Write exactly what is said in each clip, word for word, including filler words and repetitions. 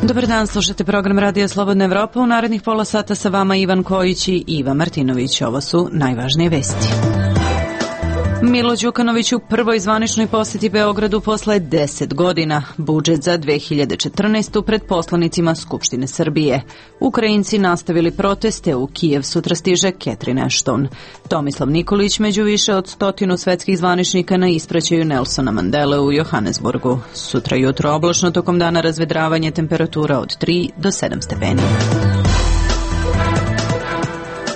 Dobar dan, slušate program Radija Slobodna Evropa. U narednih pola sata sa vama Ivan Kojić i Iva Martinović. Ovo su najvažnije vesti. Milo Đukanović u prvoj zvaničnoj poseti Beogradu posle deset godina. Budžet za dve hiljade četrnaestu pred poslanicima Skupštine Srbije. Ukrajinci nastavili proteste, u Kijev sutra stiže Catherine Ashton. Tomislav Nikolić među više od stotinu svetskih zvaničnika na ispraćaju Nelsona Mandele u Johannesburgu. Sutra jutro oblačno, tokom dana razvedravanje, temperatura od tri do sedam stepeni.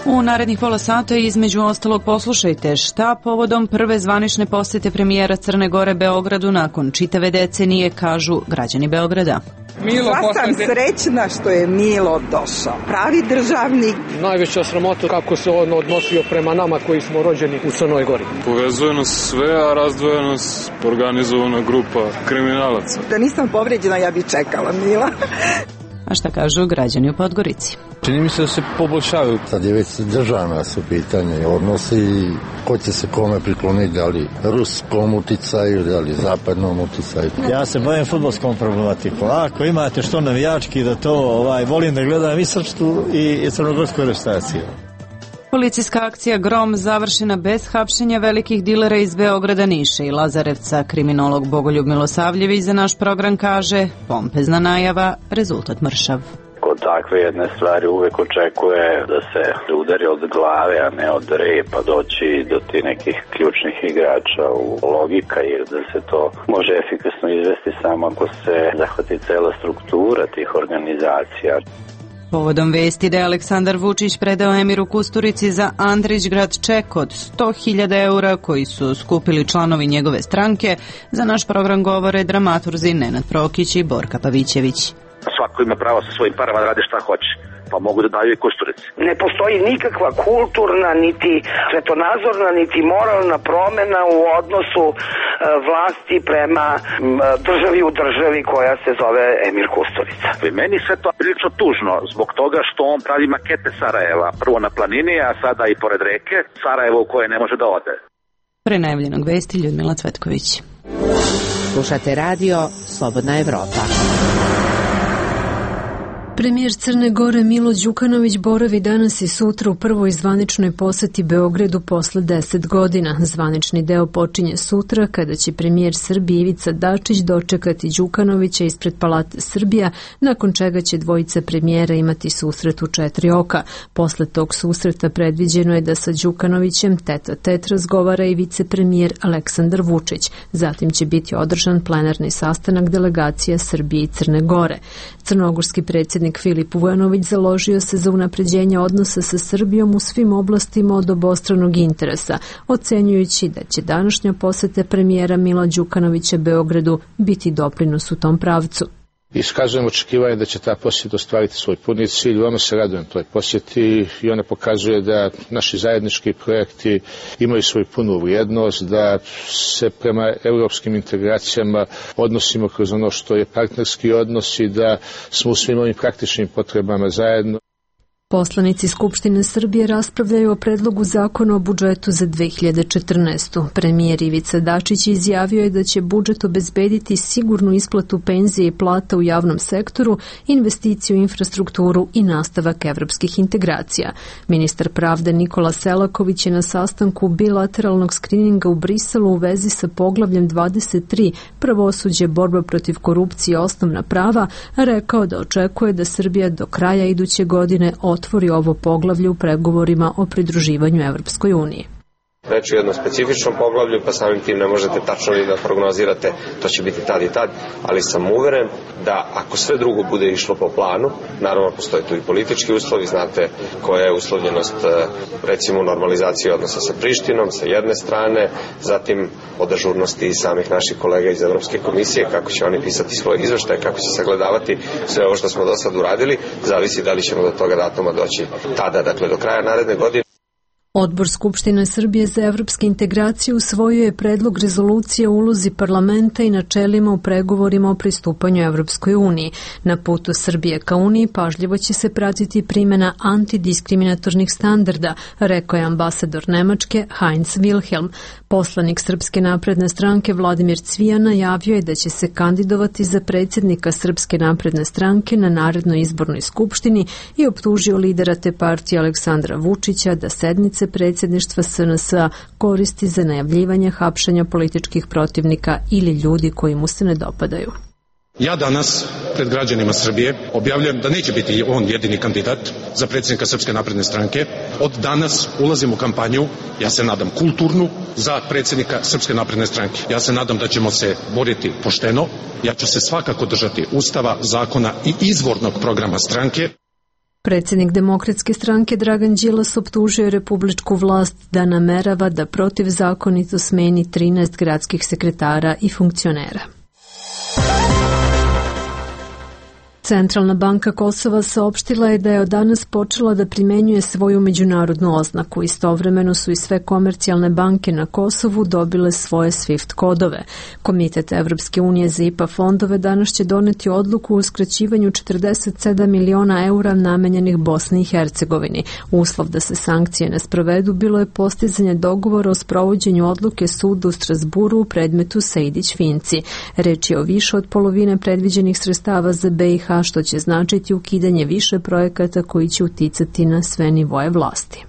U narednih pola sata između ostalog poslušajte šta povodom prve zvanične posete premijera Crne Gore Beogradu nakon čitave decenije kažu građani Beograda. Milo, sam srećna što je Milo došao. Pravi državnik. Najveća sramota kako se on odnosio prema nama koji smo rođeni u Crnoj Gori. Povezuje nas sve, a razdvoja nas organizovana grupa kriminalaca. Da nisam povređena, ja bi čekala Mila. A šta kažu građani u Podgorici? Čini mi se da se poboljšavaju. Sad je već državna su pitanje odnosi, ko će se kome prikloniti, da li ruskom uticaju, da li zapadnom uticaju. Ja se bavim fudbalskom problematikom. Ako imate što navijački da to, ovaj, volim da gledam i srpsku i crnogorsku reprezentaciju. Policijska akcija Grom završena bez hapšenja velikih dilera iz Beograda, Niša i Lazarevca. Kriminolog Bogoljub Milosavljević za naš program kaže: pompezna najava, rezultat mršav. Kod takve jedne stvari uvek očekuje da se udari od glave, a ne od repa, doći do ti nekih ključnih igrača u logika, jer da se to može efikasno izvesti samo ako se zahvati cela struktura tih organizacija. Povodom vesti da je Aleksandar Vučić predao Emiru Kusturici za Andrićgrad ček od sto hiljada eura koji su skupili članovi njegove stranke, za naš program govore dramaturzi Nenad Prokić i Borka Pavićević. Svako ima pravo sa svojim parama da radi šta hoće, pa mogu da daju i Kusturici. Ne postoji nikakva kulturna, niti svetonazorna, niti moralna promena u odnosu e, vlasti prema m, državi u državi koja se zove Emir Kusturica. I meni sve to prilično tužno zbog toga što on pravi makete Sarajeva, prvo na planini, a sada i pored reke, Sarajevo u koje ne može da ode. Pre najavljenog vesti Ljudmila Cvetković. Slušate radio Slobodna Evropa. Premijer Crne Gore Milo Đukanović boravi danas i sutra u prvoj zvaničnoj poseti Beogradu posle deset godina. Zvanični deo počinje sutra kada će premijer Srbije Ivica Dačić dočekati Đukanovića ispred Palate Srbija, nakon čega će dvojica premijera imati susret u četiri oka. Posle tog susreta predviđeno je da sa Đukanovićem tet a tet razgovara i vicepremijer Aleksandar Vučić. Zatim će biti održan plenarni sastanak delegacija Srbije i Crne Gore. Crnogorski predsjednik Filip Vujanović založio se za unapređenje odnosa sa Srbijom u svim oblastima od obostranog interesa, ocenjujući da će današnja poseta premijera Mila Đukanovića Beogradu biti doprinos u tom pravcu. Iskazujem očekivanje da će ta posjeta ostvariti svoj puni cilj. Veoma se radujem toj posjeti i ona pokazuje da naši zajednički projekti imaju svoju punu vrijednost, da se prema europskim integracijama odnosimo kroz ono što je partnerski odnos i da smo u svim ovim praktičnim potrebama zajedno. Poslanici Skupštine Srbije raspravljaju o predlogu zakona o budžetu za dve hiljade četrnaestu. Premijer Ivica Dačić izjavio je da će budžet obezbediti sigurnu isplatu penzije i plata u javnom sektoru, investiciju u infrastrukturu i nastavak evropskih integracija. Ministar pravde Nikola Selaković je na sastanku bilateralnog skrininga u Briselu u vezi sa poglavljem dvadeset tri pravosuđe, borba protiv korupcije i osnovna prava rekao da očekuje da Srbija do kraja iduće godine otvori ovo poglavlje u pregovorima o pridruživanju Evropskoj uniji. Reč je o jednom specifičnom poglavlju, pa samim tim ne možete tačno i da prognozirate to će biti tad i tad, ali sam uveren da ako sve drugo bude išlo po planu, naravno postoje tu i politički uslovi, znate koja je uslovljenost recimo normalizacije odnosa sa Prištinom sa jedne strane, zatim od ažurnosti i samih naših kolega iz Evropske komisije, kako će oni pisati svoje izveštaje, kako će sagledavati sve ovo što smo do sad uradili, zavisi da li ćemo do toga datuma doći tada, dakle do kraja naredne godine. Odbor Skupštine Srbije za evropske integracije usvojio je predlog rezolucije o ulozi parlamenta i načelima u pregovorima o pristupanju Evropskoj uniji. Na putu Srbije ka uniji pažljivo će se pratiti primjena antidiskriminatornih standarda, rekao je ambasador Nemačke Heinz Wilhelm. Poslanik Srpske napredne stranke Vladimir Cvijan najavio je da će se kandidovati za predsjednika Srpske napredne stranke na narednoj izbornoj skupštini i optužio lidera te partije Aleksandra Vučića da sednice predsjedništva S N S-a koristi za najavljivanje hapšenja političkih protivnika ili ljudi koji mu se ne dopadaju. Ja danas pred građanima Srbije objavljujem da neće biti on jedini kandidat za predsjednika Srpske napredne stranke. Od danas ulazim u kampanju, ja se nadam kulturnu, za predsjednika Srpske napredne stranke. Ja se nadam da ćemo se boriti pošteno. Ja ću se svakako držati Ustava, zakona i izvornog programa stranke. Predsjednik Demokratske stranke Dragan Đilas optužio republičku vlast da namerava da protivzakonito smeni trinaest gradskih sekretara i funkcionera. Centralna banka Kosova saopštila je da je od danas počela da primenjuje svoju međunarodnu oznaku. Istovremeno su i sve komercijalne banke na Kosovu dobile svoje SWIFT kodove. Komitet Evropske unije za I P A fondove danas će doneti odluku o uskraćivanju četrdeset sedam miliona eura namenjenih Bosni i Hercegovini. Uslov da se sankcije ne sprovedu bilo je postizanje dogovora o sprovođenju odluke suda u Strasburu u predmetu Sejdić-Finci. Reč je o više od polovine predviđenih sredstava za B i H, što će značiti ukidanje više projekata koji će uticati na sve nivoje vlasti.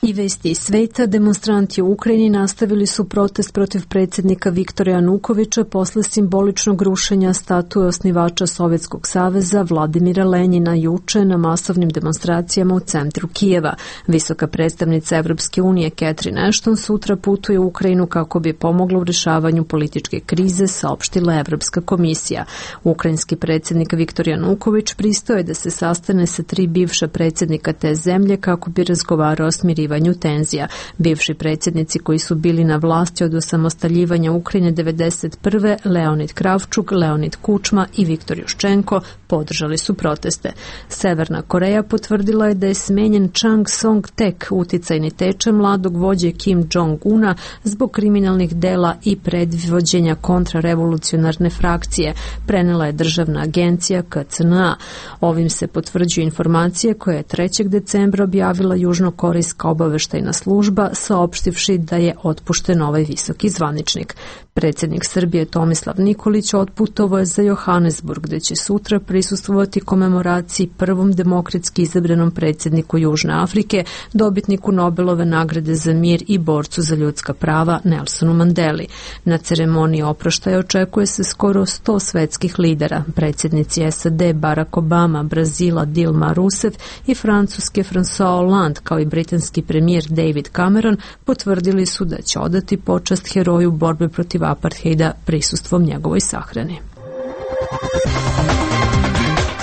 I vesti iz sveta, demonstranti u Ukrajini nastavili su protest protiv predsjednika Viktora Janukovića posle simboličnog rušenja statue osnivača Sovjetskog saveza Vladimira Lenjina juče na masovnim demonstracijama u centru Kijeva. Visoka predstavnica Evropske unije Catherine Ashton sutra putuje u Ukrajinu kako bi pomogla u rešavanju političke krize, saopštila Evropska komisija. Ukrajinski predsjednik Viktor Januković pristao je da se sastane sa tri bivša predsjednika te zemlje kako bi razgovarao o smirivanju tenzija. Bivši predsjednici koji su bili na vlasti od osamostaljivanja Ukrajine devedeset prve Leonid Kravčuk, Leonid Kučma i Viktor Juščenko podržali su proteste. Severna Koreja potvrdila je da je smenjen Chang Song-tek, uticajni tečaj mladog vođe Kim Jong-una, zbog kriminalnih dela i predvođenja kontrarevolucionarne frakcije, prenela je državna agencija K C N A. Ovim se potvrđuju informacije koje je trećeg decembra objavila južnokorejska obaveštajna služba, saopštivši da je otpušten ovaj visoki zvaničnik. Predsjednik Srbije Tomislav Nikolić otputovao je za Johannesburg, gde će sutra prisustvovati komemoraciji prvom demokratski izabranom predsjedniku Južne Afrike, dobitniku Nobelove nagrade za mir i borcu za ljudska prava Nelsonu Mandeli. Na ceremoniji oproštaja očekuje se skoro sto svetskih lidera, predsjednici S A D Barack Obama, Brazila Dilma Rousseff i Francuske François Hollande, kao i britanski premijer David Cameron, potvrdili su da će odati počast heroju borbe protiv apartheida prisustvom njegovoj sahrani.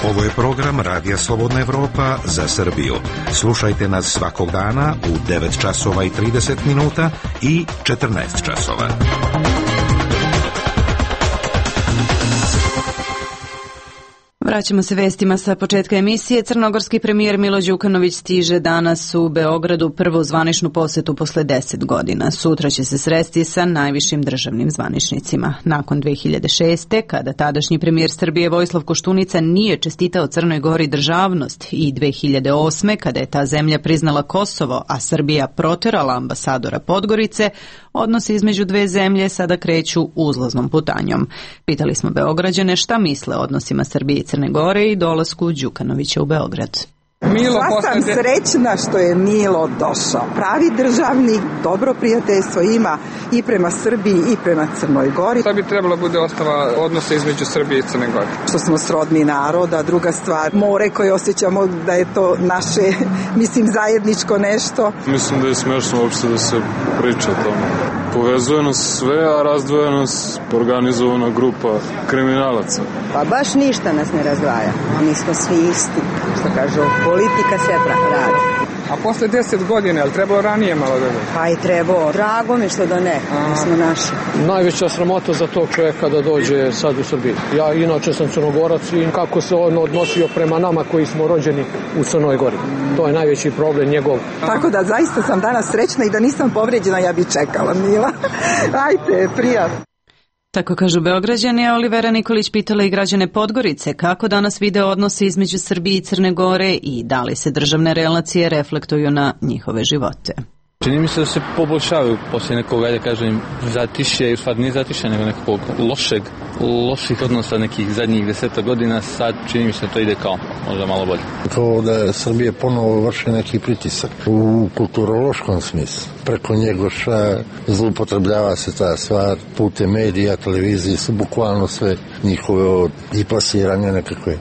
Ovo je program Radija Slobodna Evropa za Srbiju. Slušajte nas svakog dana u devet časova i trideset minuta i četrnaest časova. Vraćamo se vestima sa početka emisije. Crnogorski premijer Milo Đukanović stiže danas u Beogradu prvu zvaničnu posetu posle deset godina. Sutra će se sresti sa najvišim državnim zvaničnicima. Nakon dve hiljade šeste. kada tadašnji premijer Srbije Vojislav Koštunica nije čestitao Crnoj Gori državnost, i dve hiljade osme. kada je ta zemlja priznala Kosovo, a Srbija proterala ambasadora Podgorice, odnosi između dve zemlje sada kreću uzlaznom putanjom. Pitali smo Beograđane šta misle o odnosima Srbije i Crne Gore i dolasku Đukanovića u Beograd. Milo, ja sam srećna što je Milo došao. Pravi državnik, dobro prijateljstvo ima i prema Srbiji i prema Crnoj Gori. Šta bi trebalo bude osnova odnosa između Srbije i Crne Gore? Što smo srodni naroda, druga stvar, more koje osjećamo da je to naše, mislim, zajedničko nešto. Mislim da je smešno uopšte da se priča o tome. Povezuje nas sve, a razdvoja nas organizovana grupa kriminalaca. Pa baš ništa nas ne razdvaja. Mi smo svi isti, što kažu, politika se radi. A posle deset godina, ali trebalo ranije malo da... Pa i trebalo. Drago mi što da ne, mi smo naši. Najveća sramota za tog čovjeka da dođe sad u Srbiji. Ja inače sam Crnogorac i kako se on odnosio prema nama koji smo rođeni u Crnoj Gori. To je najveći problem njegov. Tako da zaista sam danas srećna i da nisam povređena, ja bi čekala, Mila. Ajde, prijatno. Tako kažu Beograđani, a Olivera Nikolić pitala i građane Podgorice kako danas vide odnose između Srbije i Crne Gore i da li se državne relacije reflektuju na njihove živote. Čini mi se da se poboljšavaju poslije nekog, ajde kažem, zatišje, u stvari nije zatišje, nego nekog lošeg, loših odnosa nekih zadnjih deseta godina, sad čini mi se da to ide kao možda malo bolje. Kao da Srbije ponovo vrši neki pritisak u kulturološkom smislu. Preko Njegoša zloupotrebljava se ta stvar, putem medija, televizije su bukvalno sve njihove i plasiranje nekakve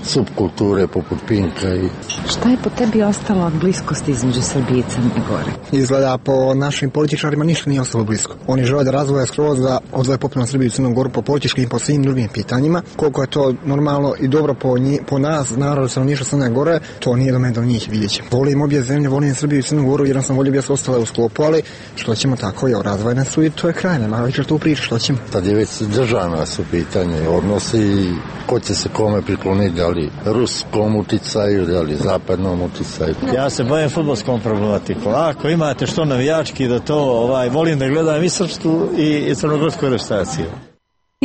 subkulture poput Pinka. I... Šta je po tebi ostalo od bliskosti između Srbije i Crne Gore? Izgleda po našim političarima ništa nije ostalo blisko. Oni žele da razvoja skroz da odvoje potpuno Srbiju i Crnu Goru po političkim i po svim drugim pitanjima. Koliko je to normalno i dobro po, nji, po nas, narod stanovništva Crne Gore, to nije do mene do njih, vidjet ćemo. Volim obje zemlje, volim Srbiju i Crnu Goru, jer sam volio bi da su ostale u sklopu, ali što ćemo tako, je razvojne su i to je kraj, nema više tu priča, što ćemo. Tad je već državna su pitanje, odnosi ko će se kome prikloniti, da li ruskom uticaju, da li zapadnom uticaju. Ja se bavim fudbalskom problematikom. Ako imate što navijački da to, ovaj, volim da gledam i srpsku i, i crnogorsku reprezentaciju.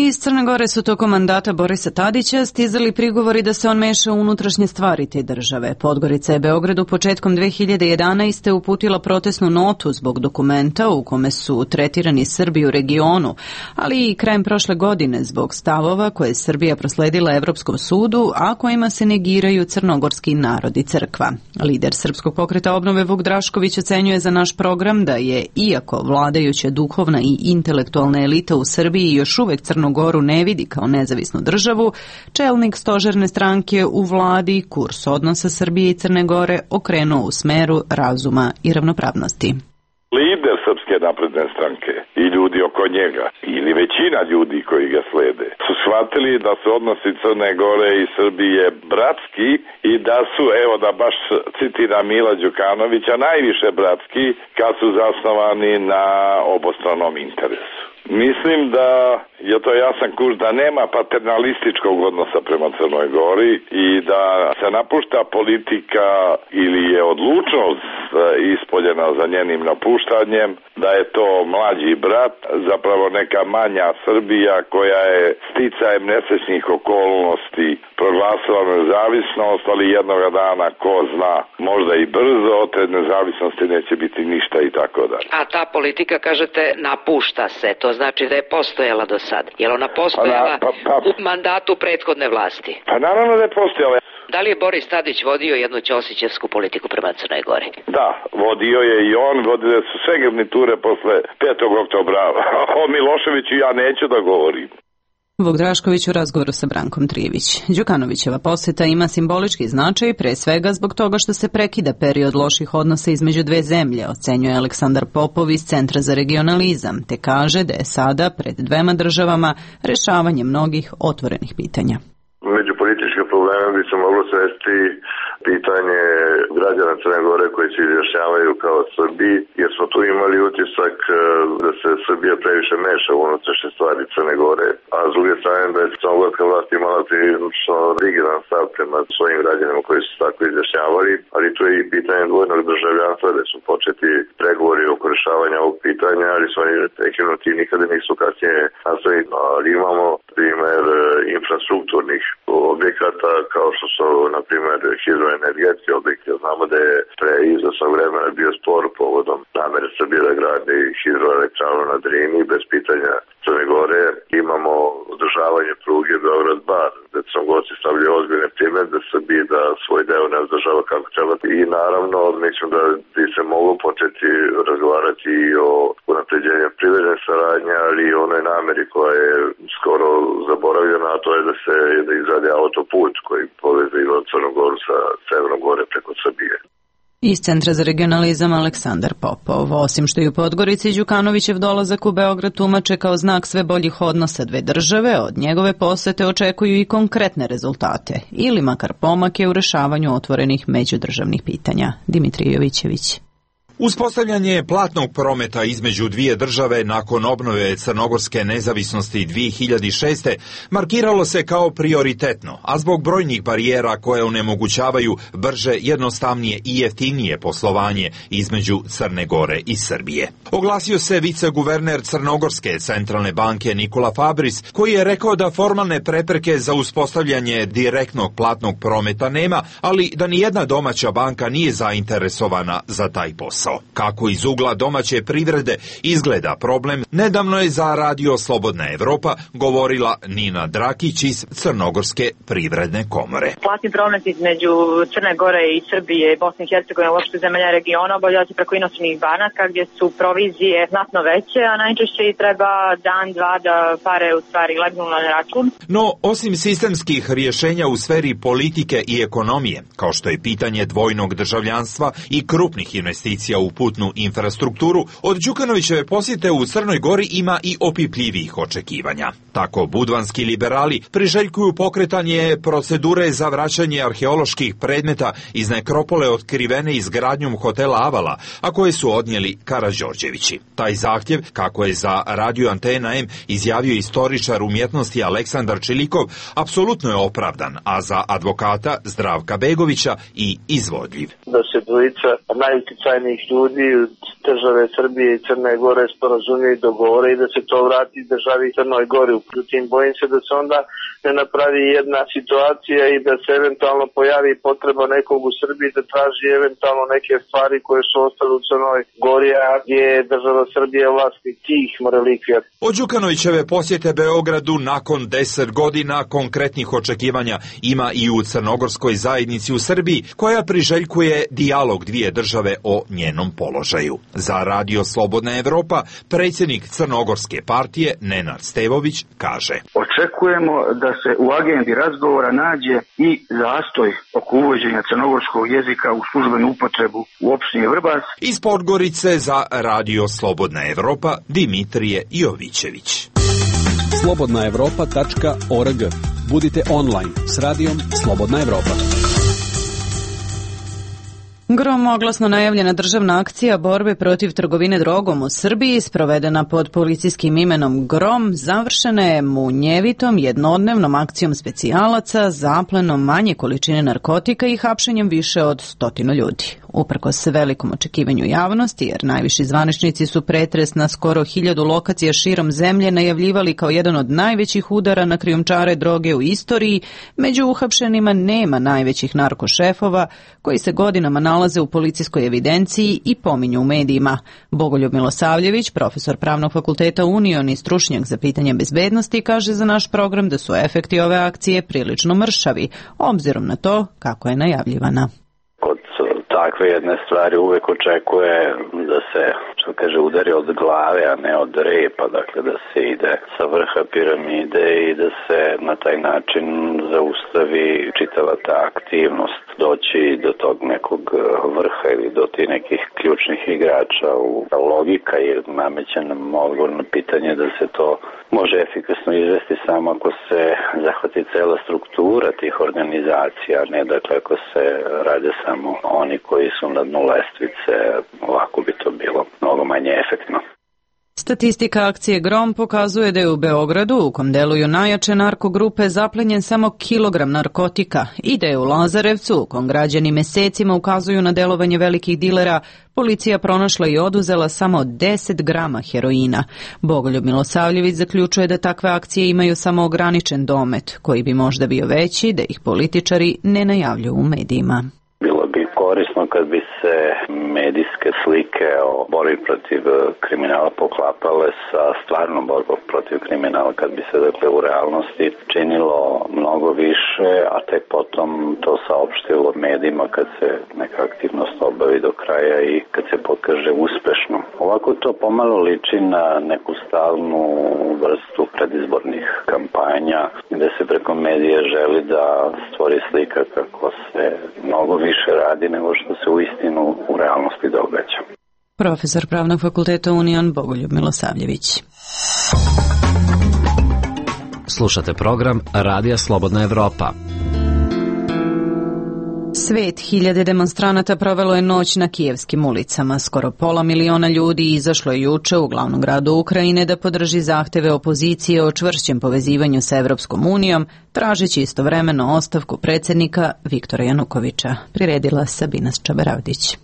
Iz Crne Gore su tokom mandata Borisa Tadića stizali prigovori da se on meša u unutrašnje stvari te države. Podgorica je Beogradu početkom dve hiljade jedanaeste. uputila protestnu notu zbog dokumenta u kome su tretirani Srbi u regionu, ali i krajem prošle godine zbog stavova koje je Srbija prosledila Evropskom sudu, a kojima se negiraju crnogorski narod i crkva. Lider Srpskog pokreta obnove Vuk Drašković ocenjuje za naš program da je, iako vladajuća duhovna i intelektualna elita u Srbiji još uvek Crno Goru ne vidi kao nezavisnu državu, čelnik stožerne stranke u vladi kurs odnosa Srbije i Crne Gore okrenuo u smeru razuma i ravnopravnosti. Lider Srpske napredne stranke i ljudi oko njega, ili većina ljudi koji ga slede, su shvatili da su odnosi Crne Gore i Srbije bratski i da su, evo da baš citiram Mila Đukanovića, najviše bratski kad su zasnovani na obostranom interesu. Mislim da je to jasan kurs da nema paternalističkog odnosa prema Crnoj Gori i da se napušta politika ili je odlučnost ispoljena za njenim napuštanjem, da je to mlađi brat, zapravo neka manja Srbija koja je sticajem nesrećnih okolnosti proglasila nezavisnost, ali jednoga dana, ko zna, možda i brzo, od te nezavisnosti neće biti ništa i tako dalje. A ta politika, kažete, napušta se, to znači da je postojala do sad. Je li ona postojala pa, pa, pa, u mandatu prethodne vlasti? Pa naravno da je postojala. Da li je Boris Tadić vodio jednu ćosićevsku politiku prema Crnoj Gori? Da, vodio je i on, vodile su sve garniture posle petog oktobra. O Miloševiću ja neću da govorim. Vuk Drašković u razgovoru sa Brankom Trijević. Đukanovićeva poseta ima simbolički značaj, pre svega zbog toga što se prekida period loših odnosa između dve zemlje, ocenjuje Aleksandar Popov iz Centra za regionalizam, te kaže da je sada pred dvema državama rešavanje mnogih otvorenih pitanja. Među političke probleme bi se moglo svesti pitanje građana Crne Gore koji se izjašnjavaju kao Srbi, jer smo tu imali utisak da se Srbija previše meša u unutrašnje stvari Crne Gore, a s druge strane da je crnogorska vlast imala prilično rigidan stav prema svojim građanima koji su tako izjašnjavali, ali tu je i pitanje dvojnog državljanstva da su početi pregovori oko rešavanja ovog pitanja, ali su oni prekinuti i nikada nisu kasnije nastavili. Ali imamo primer infrastrukturnih objekata kao što su, na primjer, hidroenergetski objekti. Znamo da je pre izvesnog vremena bio spor povodom namere Srbije da gradi hidroelektranu na Drini bez pitanja Crne Gore. Imamo održavanje pruge Beograd-Bar, gde Crnogorci stavljaju ozbiljne primedbe Srbiji da svoj deo ne održava kako treba. I naravno, mislim da bi se moglo početi razgovarati i o unapređenju privredne saradnje, ali i onoj nameri koja je skoro zaboravljena, a to je da se da izradi autoput koji poveze Crnu Goru sa Severnom Gore preko Srbije. Iz Centra za regionalizam Aleksandar Popov. Osim što i u Podgorici, Đukanovićev dolazak u Beograd tumače kao znak sve boljih odnosa dve države, od njegove posete očekuju i konkretne rezultate, ili makar pomake u rešavanju otvorenih međudržavnih pitanja. Dimitrij Jovićević. Uspostavljanje platnog prometa između dvije države nakon obnove crnogorske nezavisnosti dvije hiljade šeste. markiralo se kao prioritetno, a zbog brojnih barijera koje onemogućavaju brže, jednostavnije i jeftinije poslovanje između Crne Gore i Srbije. Oglasio se viceguverner Crnogorske centralne banke Nikola Fabris, koji je rekao da formalne prepreke za uspostavljanje direktnog platnog prometa nema, ali da nijedna domaća banka nije zainteresovana za taj posao. Kako iz ugla domaće privrede izgleda problem, nedavno je za Radio Slobodna Evropa govorila Nina Drakić iz Crnogorske privredne komore. Platni promet između Crne Gore i Srbije, Bosne i Hercegovine, uopšte zemalja regiona, obavlja se preko inostranih banaka gdje su provizije znatno veće, a najčešće i treba dan, dva da pare u stvari legnu na račun. No, osim sistemskih rješenja u sferi politike i ekonomije, kao što je pitanje dvojnog državljanstva i krupnih investicija u putnu infrastrukturu, od Đukanovićeve posjete u Crnoj Gori ima i opipljivih očekivanja. Tako budvanski liberali priželjkuju pokretanje procedure za vraćanje arheoloških predmeta iz nekropole otkrivene izgradnjom hotela Avala, a koje su odnijeli Karađorđevići. Taj zahtjev, kako je za Radio Antena M izjavio istoričar umjetnosti Aleksandar Čilikov, apsolutno je opravdan, a za advokata Zdravka Begovića i izvodljiv. Da se dvojica najuticajnijih ljudi države Srbije i Crne Gore sporazumiju i dogovore i da se to vrati državi Crnoj Gori. Uprtim, bojim se da se onda ne napravi jedna situacija i da se eventualno pojavi potreba nekog u Srbiji da traži eventualno neke stvari koje su ostale u Crnoj Gori, a gdje je država Srbije vlasnik tih relikvija. Od Đukanovićeve posjete Beogradu nakon deset godina konkretnih očekivanja ima i u crnogorskoj zajednici u Srbiji, koja priželjkuje dijalog dvije države o njenom položaju. Za Radio Slobodna Evropa predsjednik Crnogorske partije Nenad Stevović kaže: Očekujemo da se u agendi razgovora nađe i zastoj oko uvođenja crnogorskog jezika u službenu upotrebu u opštini Vrbas. Iz Podgorice za Radio Slobodna Evropa Dimitrije Jovićević. slobodna evropa tačka org. Budite online s radijom Slobodna Evropa. Gromoglasno najavljena državna akcija borbe protiv trgovine drogom u Srbiji, sprovedena pod policijskim imenom Grom, završena je munjevitom jednodnevnom akcijom specijalaca, zaplenom manje količine narkotika i hapšenjem više od stotinu ljudi. Uprkos velikom očekivanju javnosti, jer najviši zvaničnici su pretres na skoro hiljadu lokacija širom zemlje najavljivali kao jedan od najvećih udara na krijumčare droge u istoriji, među uhapšenima nema najvećih narkošefova koji se godinama nalaze u policijskoj evidenciji i pominju u medijima. Bogoljub Milosavljević, profesor Pravnog fakulteta Union i stručnjak za pitanje bezbednosti, kaže za naš program da su efekti ove akcije prilično mršavi, obzirom na to kako je najavljivana. Takve jedne stvari uvek očekuje da se, što kaže, udari od glave, a ne od repa, dakle da se ide sa vrha piramide i da se na taj način zaustavi čitava ta aktivnost, doći do tog nekog vrha ili do tih nekih ključnih igrača. U logika je nameće nam odgovor na pitanje da se to može efikasno izvesti samo ako se zahvati cela struktura tih organizacija, ne dakle ako se rade samo oni koji su na dnu lestvice, ovako bi to bilo mnogo manje efektno. Statistika akcije Grom pokazuje da je u Beogradu, u kom deluju najjače narkogrupe, zaplenjen samo kilogram narkotika i da je u Lazarevcu, u kom građani mesecima ukazuju na delovanje velikih dilera, policija pronašla i oduzela samo deset grama heroina. Bogoljub Milosavljević zaključuje da takve akcije imaju samo ograničen domet, koji bi možda bio veći da ih političari ne najavljuju u medijima. Bilo bi korisno kad bi se medijske slike o borbi protiv kriminala poklapale sa stvarnom borbom protiv kriminala, kad bi se dakle u realnosti činilo mnogo više, a tek potom to saopštilo medijima kad se neka aktivnost obavi do kraja i kad se pokaže uspešno. Ovako to pomalo liči na neku stalnu vrstu predizbornih kampanja gde se preko medija želi da stvori slika kako se mnogo više radi nego što se u istinu u realnosti događa. Profesor Pravnog fakulteta Union Bogoljub Milosavljević. Slušate program Radija Slobodna Evropa. Svet hiljade demonstranata provelo je noć na kijevskim ulicama. Skoro pola miliona ljudi izašlo je juče u glavnom gradu Ukrajine da podrži zahteve opozicije o čvršćem povezivanju sa Evropskom unijom, tražeći istovremeno ostavku predsjednika Viktora Janukovića. Priredila Sabina Čaberavdić.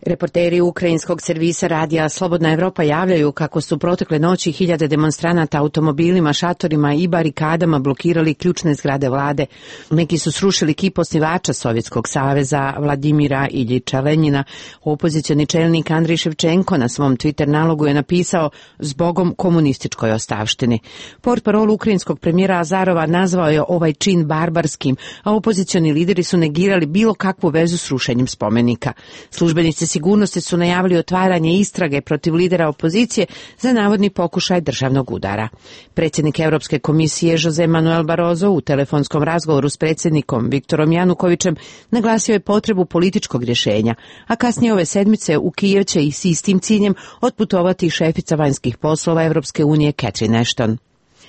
Reporteri ukrajinskog servisa radija Slobodna Evropa javljaju kako su protekle noći hiljade demonstranata automobilima, šatorima i barikadama blokirali ključne zgrade vlade. Neki su srušili kip osnivača Sovjetskog saveza Vladimira Iljiča Lenjina. Opozicioni čelnik Andrej Ševčenko na svom Twitter nalogu je napisao "Zbogom komunističkoj ostavštini". Portparol ukrajinskog premijera Azarova nazvao je ovaj čin barbarskim, a opozicioni lideri su negirali bilo kakvu vezu s rušenjem spomenika. Službenici sigurnosti su najavili otvaranje istrage protiv lidera opozicije za navodni pokušaj državnog udara. Predsjednik Europske komisije Jose Manuel Barroso u telefonskom razgovoru s predsjednikom Viktorom Janukovićem naglasio je potrebu političkog rješenja, a kasnije ove sedmice u Kijev će i s istim ciljem otputovati šefica vanjskih poslova Europske unije Catherine Ashton.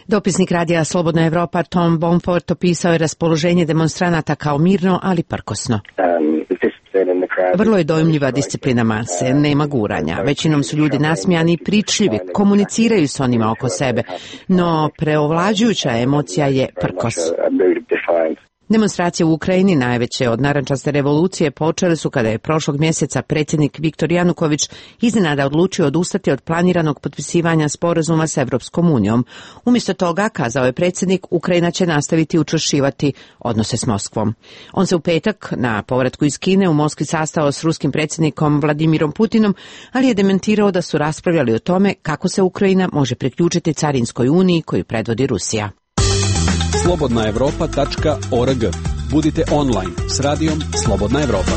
Dopisnik radija Slobodna Evropa Tom Bonfort opisao je raspoloženje demonstranata kao mirno, ali prkosno. Vrlo je dojmljiva disciplina mase, nema guranja. Većinom su ljudi nasmijani i pričljivi, komuniciraju s onima oko sebe, no preovlađujuća emocija je prkos. Demonstracije u Ukrajini, najveće od narančaste revolucije, počele su kada je prošlog mjeseca predsjednik Viktor Januković iznenada odlučio odustati od planiranog potpisivanja sporazuma s Evropskom unijom. Umjesto toga, kazao je predsjednik, Ukrajina će nastaviti učvršćivati odnose s Moskvom. On se u petak na povratku iz Kine u Moskvi sastao s ruskim predsjednikom Vladimirom Putinom, ali je dementirao da su raspravljali o tome kako se Ukrajina može priključiti Carinskoj uniji koju predvodi Rusija. slobodna evropa tačka org. Budite online s radijom Slobodna Evropa.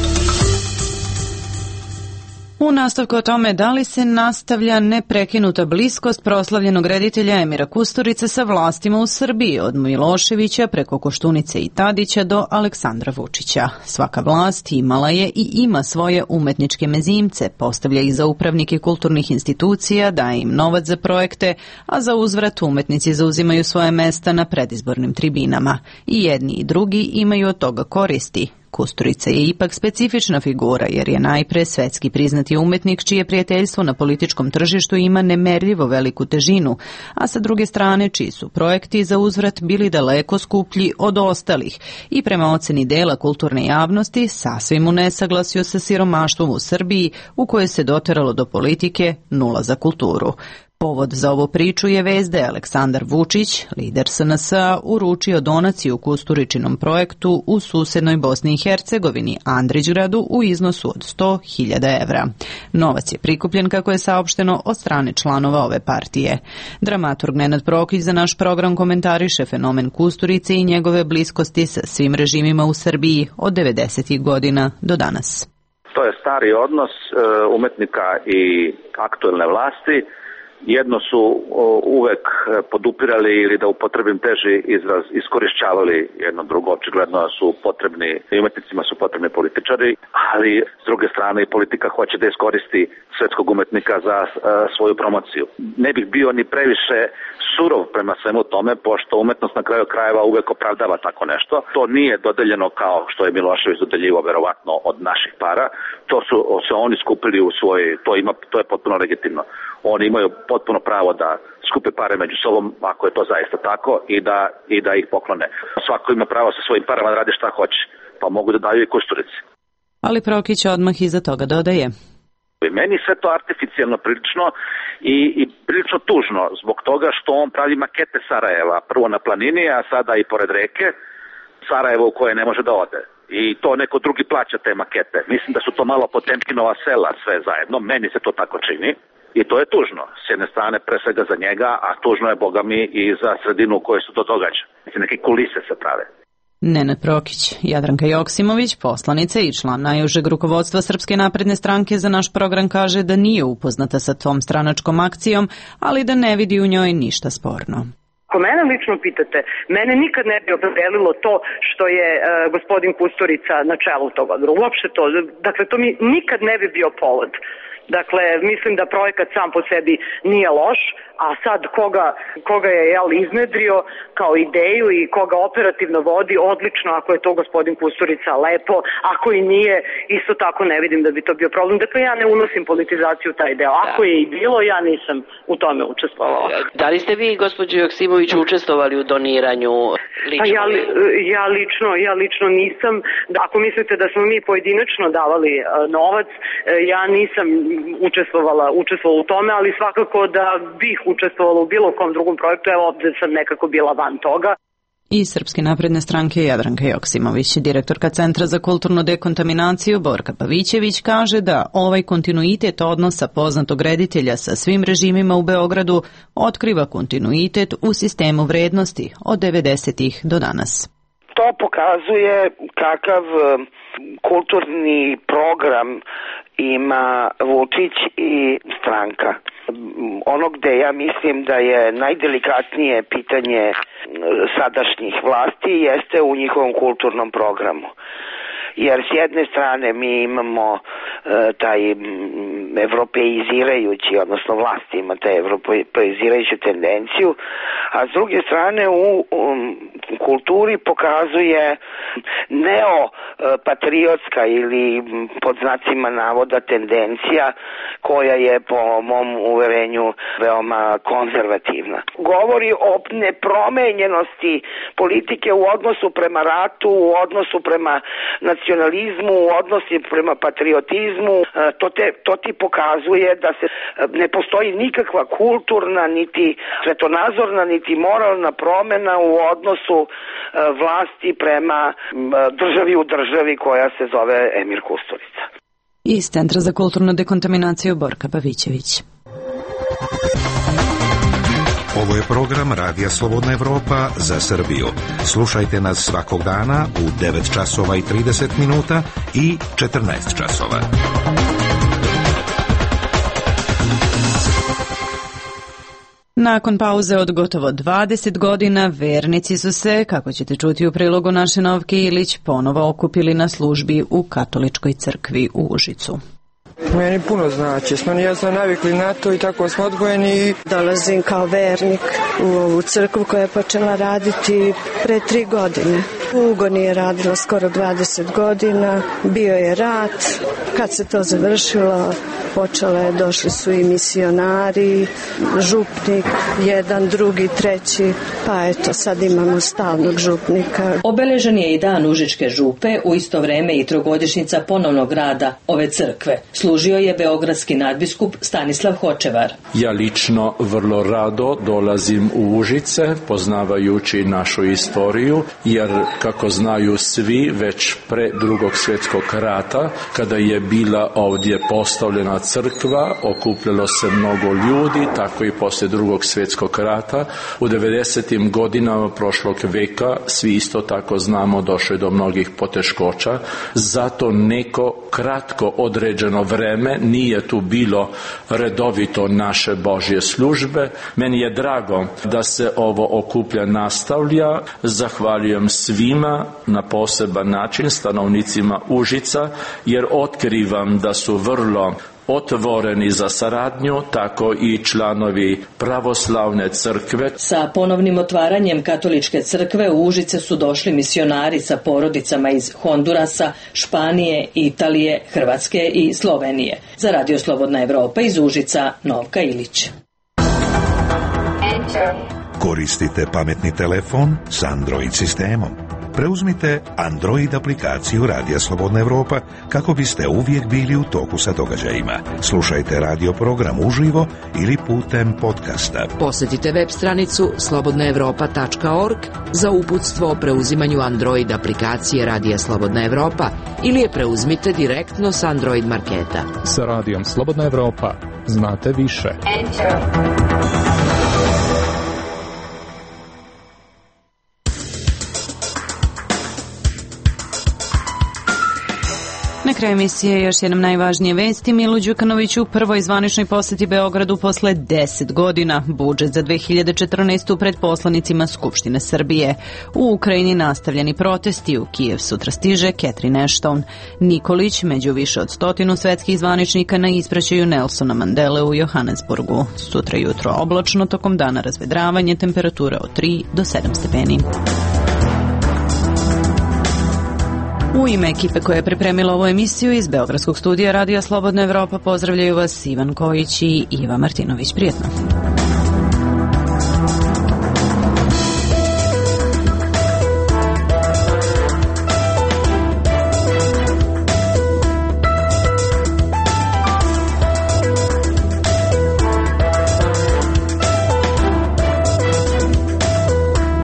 U nastavku o tome da li se nastavlja neprekinuta bliskost proslavljenog reditelja Emira Kusturice sa vlastima u Srbiji, od Miloševića preko Koštunice i Tadića do Aleksandra Vučića. Svaka vlast imala je i ima svoje umetničke mezimce, postavlja ih za upravnike kulturnih institucija, daje im novac za projekte, a za uzvrat umetnici zauzimaju svoje mesta na predizbornim tribinama. I jedni i drugi imaju od toga koristi. Kusturica je ipak specifična figura jer je najpre svetski priznati umetnik čije prijateljstvo na političkom tržištu ima nemerljivo veliku težinu, a sa druge strane čiji su projekti za uzvrat bili daleko skuplji od ostalih i prema oceni dela kulturne javnosti sasvim u nesaglasju sa siromaštvom u Srbiji u kojoj se doteralo do politike nula za kulturu. Povod za ovu priču je vest da je Aleksandar Vučić, lider S N S-a, uručio donaciju Kusturičinom projektu u susednoj Bosni i Hercegovini, Andrićgradu, u iznosu od sto hiljada evra. Novac je prikupljen, kako je saopšteno, od strane članova ove partije. Dramaturg Nenad Prokić za naš program komentariše fenomen Kusturice i njegove bliskosti sa svim režimima u Srbiji od devedesetih godina do danas. To je stari odnos umetnika i aktuelne vlasti. Jedno su uvek podupirali ili da upotrebim teži izraz iskorišćavali jedno drugo, očigledno su potrebni, umetnicima su potrebni političari, ali s druge strane i politika hoće da iskoristi svetskog umetnika za svoju promociju. Ne bih bio ni previše surov prema svemu tome, pošto umetnost na kraju krajeva uvek opravdava tako nešto. To nije dodeljeno kao što je Milošević dodeljivao verovatno od naših para. To su se oni skupili u svoj, to ima, to je potpuno legitimno. Oni imaju potpuno pravo da skupe pare među sobom, ako je to zaista tako, i da, i da ih poklone. Svako ima pravo sa svojim parama da radi šta hoće, pa mogu da daju i Kusturici. Ali Prokić odmah iza toga dodaje: meni sve to artificijalno prilično i, i prilično tužno zbog toga što on pravi makete Sarajeva, prvo na planini, a sada i pored reke, Sarajevo u koje ne može da ode. I to neko drugi plaća te makete. Mislim da su to malo Potemkinova sela sve zajedno, meni se to tako čini. I to je tužno, s jedne strane pre svega za njega, a tužno je, boga mi, i za sredinu u kojoj se to događa. Neke kulise se prave. Nenad Prokić. Jadranka Joksimović, poslanica i član najužeg rukovodstva Srpske napredne stranke, za naš program kaže da nije upoznata sa tom stranačkom akcijom, ali da ne vidi u njoj ništa sporno. Ako mene lično pitate, mene nikad ne bi opredelilo to što je uh, gospodin Kusturica na čelu tog odbora. Uopšte to. Dakle, to mi nikad ne bi bio povod. Dakle, mislim da projekat sam po sebi nije loš, a sad koga, koga je jel, iznedrio kao ideju i koga operativno vodi, odlično, ako je to gospodin Kusturica, lepo, ako i nije, isto tako ne vidim da bi to bio problem. Dakle, ja ne unosim politizaciju taj deo. Ako je i bilo, ja nisam u tome učestvovala. Da li ste vi, gospođo Joksimović, učestvovali u doniranju lično? Pa ja, ja lično, ja lično nisam. Ako mislite da smo mi pojedinačno davali uh, novac, uh, ja nisam učestvovala, učestvovala u tome, ali svakako da bih učestvovala u bilo kom drugom projektu, evo ovde sam nekako bila van toga. I Srpske napredne stranke Jadranka Joksimović, direktorka Centra za kulturnu dekontaminaciju Borka Pavićević, kaže da ovaj kontinuitet odnosa poznatog reditelja sa svim režimima u Beogradu otkriva kontinuitet u sistemu vrednosti od devedesetih do danas. To pokazuje kakav kulturni program ima Vučić i stranka. Ono gde ja mislim da je najdelikatnije pitanje sadašnjih vlasti jeste u njihovom kulturnom programu. Jer s jedne strane mi imamo e, taj evropeizirajući, odnosno vlast ima taj evropeizirajuću tendenciju, a s druge strane u, u kulturi pokazuje neopatriotska ili pod znacima navoda tendencija koja je po mom uverenju veoma konzervativna. Govori o nepromenjenosti politike u odnosu prema ratu, u odnosu prema nacionalizmu, u odnosu prema patriotizmu. To, te, to ti pokazuje da se ne postoji nikakva kulturna, niti svetonazorna, niti moralna promena u odnosu vlasti prema državi u državi koja se zove Emir Kusturica. Iz Centra za kulturnu dekontaminaciju Borka Pavićević. Ovo je program Radija Slobodna Evropa za Srbiju. Slušajte nas svakog dana u devet časova i trideset minuta i četrnaest časova. Nakon pauze od gotovo dvadeset godina, vernici su se, kako ćete čuti u prilogu naše Novke Ilić, ponovo okupili na službi u katoličkoj crkvi u Užicu. Meni puno znači, smo ja smo navikli na to i tako smo odgojeni. Dolazim kao vernik u ovu crkvu koja je počela raditi pre tri godine. U Ugoni je radila skoro dvadeset godina, bio je rat, kad se to završilo, počele, došli su i misionari, župnik, jedan, drugi, treći, pa eto sad imamo stalnog župnika. Obeležen je i dan Užičke župe, u isto vreme i trogodišnjica ponovnog rada ove crkve. Služio je beogradski nadbiskup Stanislav Hočevar. Ja lično vrlo rado dolazim u Užice, poznavajući našu istoriju, jer kako znaju svi, već pre drugog svjetskog rata, kada je bila ovdje postavljena crkva, okupljalo se mnogo ljudi, tako i posle drugog svjetskog rata. U devedesetim godinama prošlog veka, svi isto tako znamo, došlo je do mnogih poteškoća, zato neko kratko određeno vreme nije tu bilo redovito naše Božje službe. Meni je drago da se ovo okuplja nastavlja. Zahvaljujem svima na poseban način, stanovnicima Užica, jer otkrivam da su vrlo otvoreni za saradnju, tako i članovi pravoslavne crkve. Sa ponovnim otvaranjem katoličke crkve u Užice su došli misionari sa porodicama iz Hondurasa, Španije, Italije, Hrvatske i Slovenije. Za Radio Slobodna Evropa iz Užica, Novka Ilić. Koristite pametni telefon s Android sistemom. Preuzmite Android aplikaciju Radija Slobodna Evropa kako biste uvijek bili u toku sa događajima. Slušajte radio program uživo ili putem podcasta. Posjetite web stranicu slobodna evropa tačka org za uputstvo o preuzimanju Android aplikacije Radija Slobodna Evropa ili je preuzmite direktno s Android marketa. Sa Radijom Slobodna Evropa znate više. Enter. Na kraju emisije još jednom najvažnije vesti. Milo Đukanović u prvoj zvaničnoj poseti Beogradu posle deset godina. Budžet za dve hiljade četrnaestu pred poslanicima Skupštine Srbije. U Ukrajini nastavljeni protesti, u Kijev sutra stiže Catherine Ashton. Nikolić među više od stotinu svetskih zvaničnika na ispraćaju Nelsona Mandele u Johannesburgu. Sutra jutro oblačno, tokom dana razvedravanje, temperatura od tri do sedam stepeni. U ime ekipe koja je pripremila ovu emisiju iz Beogradskog studija Radija Slobodna Evropa pozdravljaju vas Ivan Kojić i Iva Martinović. Prijetno.